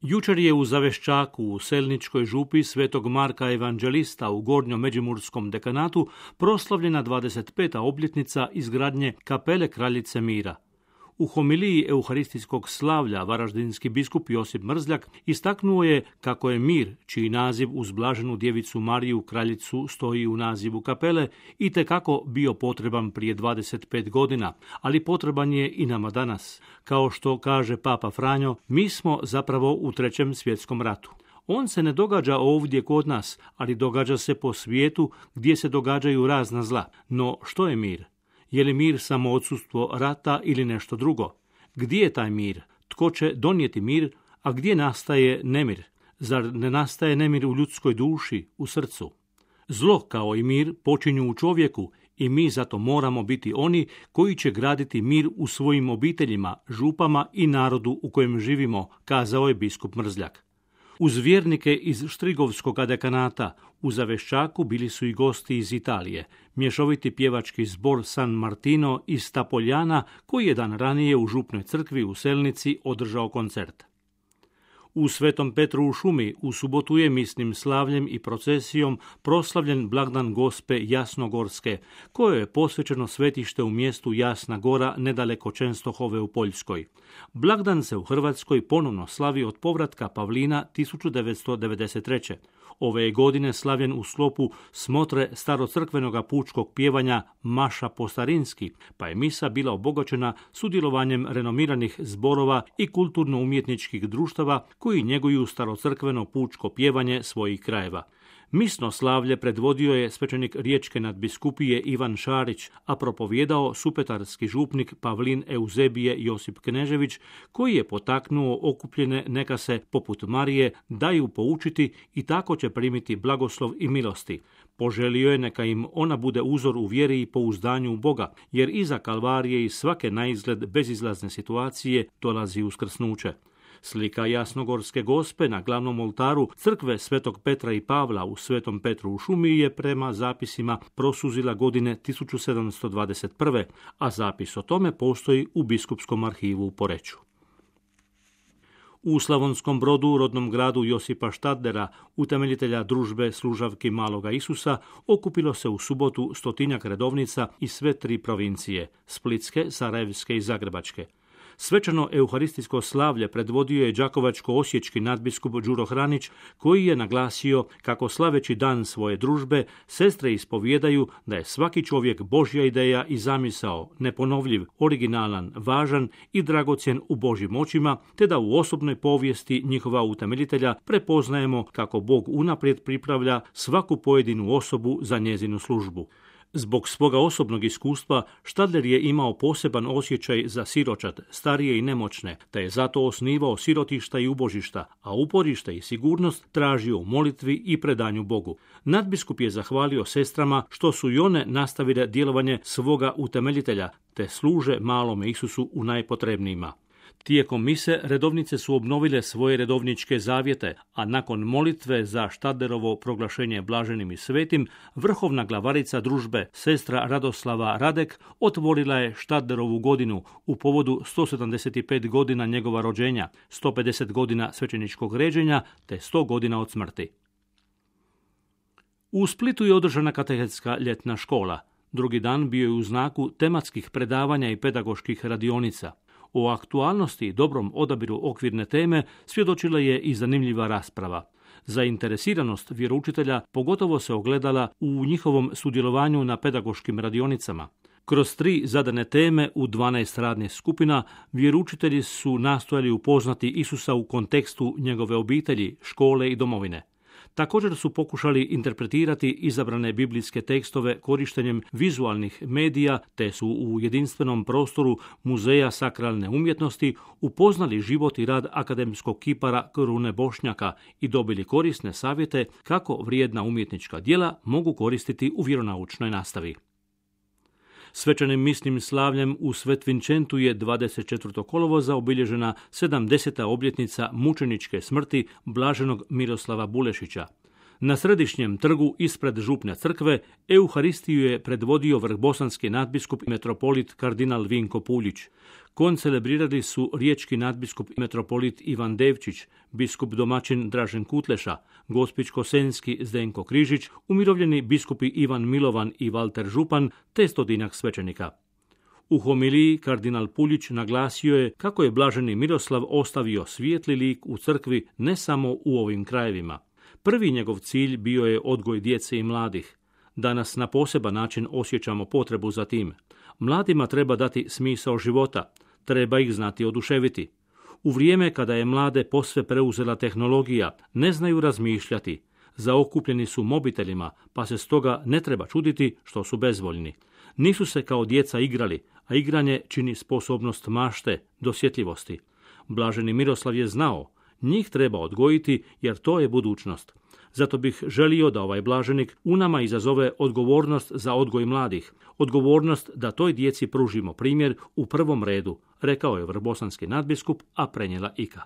Jučer je u Zaveščaku u Selničkoj župi Svetog Marka Evanđelista u Gornjom Međimurskom dekanatu proslavljena 25. obljetnica izgradnje kapele Kraljice mira. U homiliji euharistijskog slavlja varaždinski biskup Josip Mrzljak istaknuo je kako je mir, čiji naziv uz blaženu djevicu Mariju Kraljicu stoji u nazivu kapele, itekako bio potreban prije 25 godina, ali potreban je i nama danas. Kao što kaže Papa Franjo, mi smo zapravo u 3. svjetskom ratu. On se ne događa ovdje kod nas, ali događa se po svijetu gdje se događaju razna zla. No što je mir? Je li mir samo odsustvo rata ili nešto drugo? Gdje je taj mir? Tko će donijeti mir, a gdje nastaje nemir? Zar ne nastaje nemir u ljudskoj duši, u srcu? Zlo kao i mir počinju u čovjeku i mi zato moramo biti oni koji će graditi mir u svojim obiteljima, župama i narodu u kojem živimo, kazao je biskup Mrzljak. Uz vjernike iz Štrigovskog dekanata u Zaveščaku bili su i gosti iz Italije, mješoviti pjevački zbor San Martino iz Tapoljana, koji je dan ranije u župnoj crkvi u Selnici održao koncert. U Svetom Petru u šumi u subotu je misnim slavljem i procesijom proslavljen blagdan Gospe Jasnogorske, kojoj je posvećeno svetište u mjestu Jasna Gora nedaleko Čenstohove u Poljskoj. Blagdan se u Hrvatskoj ponovno slavi od povratka Pavlina 1993. Ove je godine slavljen u sklopu smotre starocrkvenoga pučkog pjevanja Maša po starinski, pa je misa bila obogaćena sudjelovanjem renomiranih zborova i kulturno-umjetničkih društava koji njeguju starocrkveno pučko pjevanje svojih krajeva. Misno slavlje predvodio je svećenik Riječke nadbiskupije Ivan Šarić, a propovijedao supetarski župnik Pavlin Euzebije Josip Knežević, koji je potaknuo okupljene neka se, poput Marije, daju poučiti i tako će primiti blagoslov i milosti. Poželio je neka im ona bude uzor u vjeri i pouzdanju u Boga, jer iza Kalvarije i svake naizgled bezizlazne situacije dolazi uskrsnuće. Slika Jasnogorske Gospe na glavnom oltaru crkve Svetog Petra i Pavla u Svetom Petru u šumi je prema zapisima prosuzila godine 1721. a zapis o tome postoji u biskupskom arhivu u Poreču. U Slavonskom Brodu, rodnom gradu Josipa Štadlera, utemeljitelja družbe služavki Maloga Isusa, okupilo se u subotu 100-tinjak redovnica iz sve 3 provincije, Splitske, Sarajevske i Zagrebačke. Svečano euharistijsko slavlje predvodio je đakovačko-osječki nadbiskup Đuro Hranić, koji je naglasio kako slaveći dan svoje družbe, sestre ispovijedaju da je svaki čovjek Božja ideja i zamisao, neponovljiv, originalan, važan i dragocjen u Božjim očima, te da u osobnoj povijesti njihova utemeljitelja prepoznajemo kako Bog unaprijed pripravlja svaku pojedinu osobu za njezinu službu. Zbog svoga osobnog iskustva, Štadler je imao poseban osjećaj za siročad, starije i nemoćne, te je zato osnivao sirotišta i ubožišta, a uporište i sigurnost tražio u molitvi i predanju Bogu. Nadbiskup je zahvalio sestrama što su i one nastavile djelovanje svoga utemeljitelja, te služe malome Isusu u najpotrebnijima. Tijekom mise redovnice su obnovile svoje redovničke zavjete, a nakon molitve za Štadlerovo proglašenje blaženim i svetim, vrhovna glavarica družbe, sestra Radoslava Radek, otvorila je Štadlerovu godinu u povodu 175 godina njegova rođenja, 150 godina svećeničkog ređenja te 100 godina od smrti. U Splitu je održana katehetska ljetna škola. Drugi dan bio je u znaku tematskih predavanja i pedagoških radionica. O aktualnosti i dobrom odabiru okvirne teme svjedočila je i zanimljiva rasprava. Zainteresiranost vjeroučitelja pogotovo se ogledala u njihovom sudjelovanju na pedagoškim radionicama. Kroz 3 zadane teme u 12 radnih skupina vjeroučitelji su nastojali upoznati Isusa u kontekstu njegove obitelji, škole i domovine. Također su pokušali interpretirati izabrane biblijske tekstove korištenjem vizualnih medija, te su u jedinstvenom prostoru Muzeja sakralne umjetnosti upoznali život i rad akademskog kipara Krune Bošnjaka i dobili korisne savjete kako vrijedna umjetnička djela mogu koristiti u vjeronaučnoj nastavi. Svečanim misnim slavljem u Svetvinčentu je 24. kolovoza obilježena 70. obljetnica mučeničke smrti blaženog Miroslava Bulešića. Na središnjem trgu ispred župne crkve Euharistiju je predvodio vrhbosanski nadbiskup i metropolit kardinal Vinko Puljić. Koncelebrirali su riječki nadbiskup i metropolit Ivan Devčić, biskup domaćin Dražen Kutleša, gospić-kosenski Zdenko Križić, umirovljeni biskupi Ivan Milovan i Valter Župan, te 100 svećenika. U homiliji kardinal Puljić naglasio je kako je blaženi Miroslav ostavio svijetli lik u crkvi ne samo u ovim krajevima. Prvi njegov cilj bio je odgoj djece i mladih. Danas na poseban način osjećamo potrebu za tim. Mladima treba dati smisao života, treba ih znati oduševiti. U vrijeme kada je mlade posve preuzela tehnologija, ne znaju razmišljati. Zaokupljeni su mobitelima, pa se stoga ne treba čuditi što su bezvoljni. Nisu se kao djeca igrali, a igranje čini sposobnost mašte, dosjetljivosti. Blaženi Miroslav je znao, njih treba odgojiti jer to je budućnost. Zato bih želio da ovaj blaženik u nama izazove odgovornost za odgoj mladih, odgovornost da toj djeci pružimo primjer u prvom redu, rekao je vrhbosanski nadbiskup, a prenijela Ika.